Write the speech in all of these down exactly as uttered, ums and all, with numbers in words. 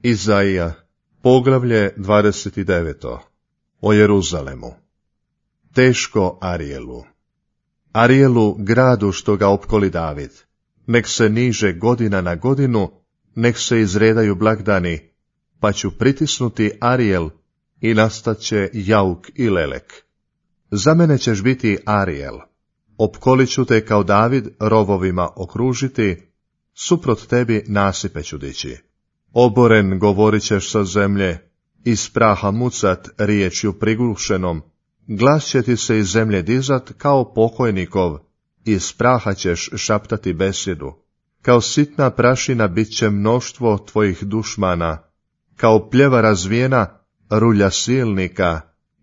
Izaija, poglavlje dvadeset devet. O Jeruzalemu. Teško Arijelu. Arijelu, gradu što ga opkoli David. Nek se niže godina na godinu, nek se izredaju blagdani, pa ću pritisnuti Arijel i nastat će jauk i lelek. Za mene ćeš biti Arijel. Opkolit ću te kao David rovovima okružiti, suprot tebi nasipe ću dići. Oboren govorit ćeš sa zemlje, iz praha mucat riječju prigušenom, glas će ti se iz zemlje dizat kao pokojnikov, iz praha ćeš šaptati besjedu. Kao sitna prašina bit će mnoštvo tvojih dušmana, kao pljeva razvijena rulja silnika,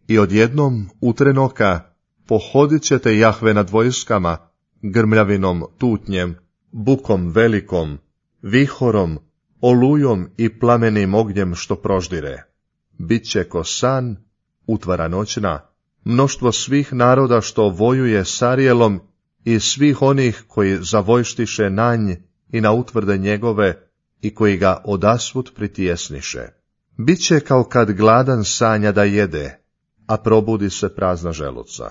i odjednom utrenoka pohodit ćete Jahve nad vojskama, grmljavinom tutnjem, bukom velikom, vihorom, olujom i plamenim ognjem što proždire. Biće ko san, utvara noćna, mnoštvo svih naroda što vojuje s Arijelom i svih onih koji zavojštiše na nj i na utvrde njegove i koji ga odasvud pritjesniše. Biće kao kad gladan sanja da jede, a probudi se prazna želuca.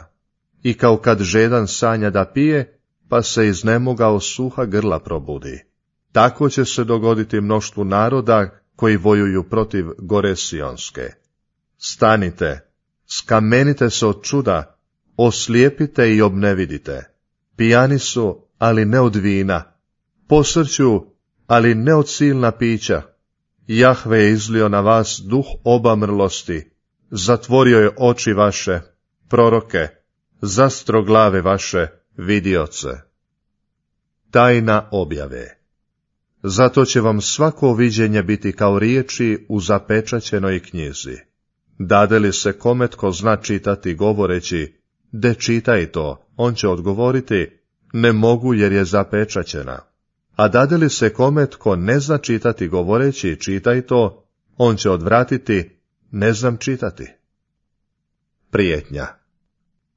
I kao kad žedan sanja da pije, pa se iznemogao suha grla probudi. Tako će se dogoditi mnoštvu naroda koji vojuju protiv gore Sionske. Stanite, skamenite se od čuda, oslijepite i obnevidite. Pijani su, ali ne od vina, posrću, ali ne od silna pića. Jahve je izlio na vas duh obamrlosti, zatvorio je oči vaše, proroke, zastro glave vaše, vidioce. Tajna objave. Zato će vam svako viđenje biti kao riječi u zapečaćenoj knjizi. Dade li se kome tko zna čitati govoreći, de čitaj to, on će odgovoriti, ne mogu jer je zapečaćena. A dade li se kome tko ne zna čitati govoreći, čitaj to, on će odvratiti, ne znam čitati. Prijetnja.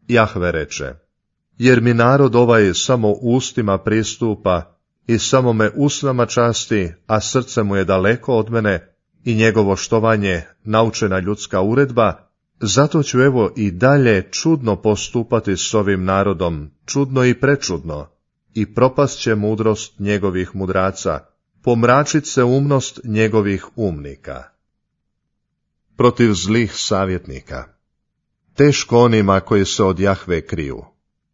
Jahve reče, jer mi narod ovaj samo ustima pristupa i samo me usnama časti, a srce mu je daleko od mene i njegovo štovanje naučena ljudska uredba, zato ću evo i dalje čudno postupati s ovim narodom, čudno i prečudno, i propast će mudrost njegovih mudraca, pomračit se umnost njegovih umnika. Protiv zlih savjetnika. Teško onima koji se od Jahve kriju,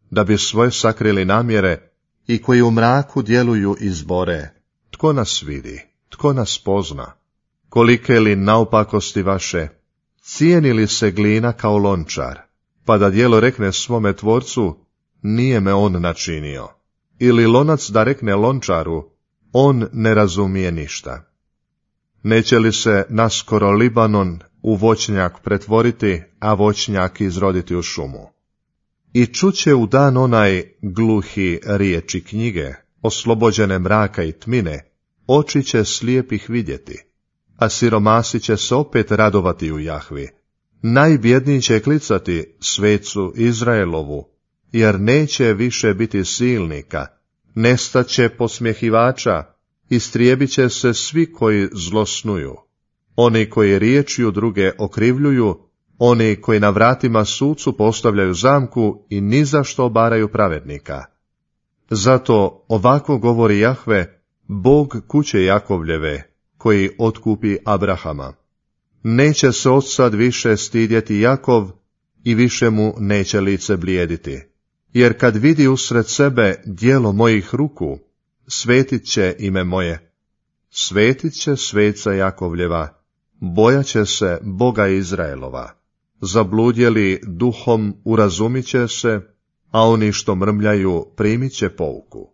da bi svoje sakrili namjere i koji u mraku djeluju i zbore. Tko nas vidi, tko nas pozna? Kolike li naopakosti vaše? Cijeni li se glina kao lončar, pa da djelo rekne svome tvorcu, nije me on načinio? Ili lonac da rekne lončaru, on ne razumije ništa. Neće li se naskoro Libanon u voćnjak pretvoriti, a voćnjak izroditi u šumu? I čuće u dan onaj gluhi riječi knjige, oslobođene mraka i tmine, oči će slijepih vidjeti, a siromasi će se opet radovati u Jahvi. Najbjedniji će klicati svecu Izraelovu, jer neće više biti silnika, nestaće posmjehivača, istrijebit će se svi koji zlosnuju. Oni koji riječju druge okrivljuju, oni koji na vratima sucu postavljaju zamku i ni za što obaraju pravednika. Zato ovako govori Jahve, Bog kuće Jakovljeve, koji otkupi Abrahama. Neće se odsad više stidjeti Jakov i više mu neće lice blijediti. Jer kad vidi usred sebe djelo mojih ruku, svetit će ime moje. Svetit će sveca Jakovljeva, bojat će se Boga Izraelova. Zabludjeli duhom urazumit će se, a oni što mrmljaju primit će pouku.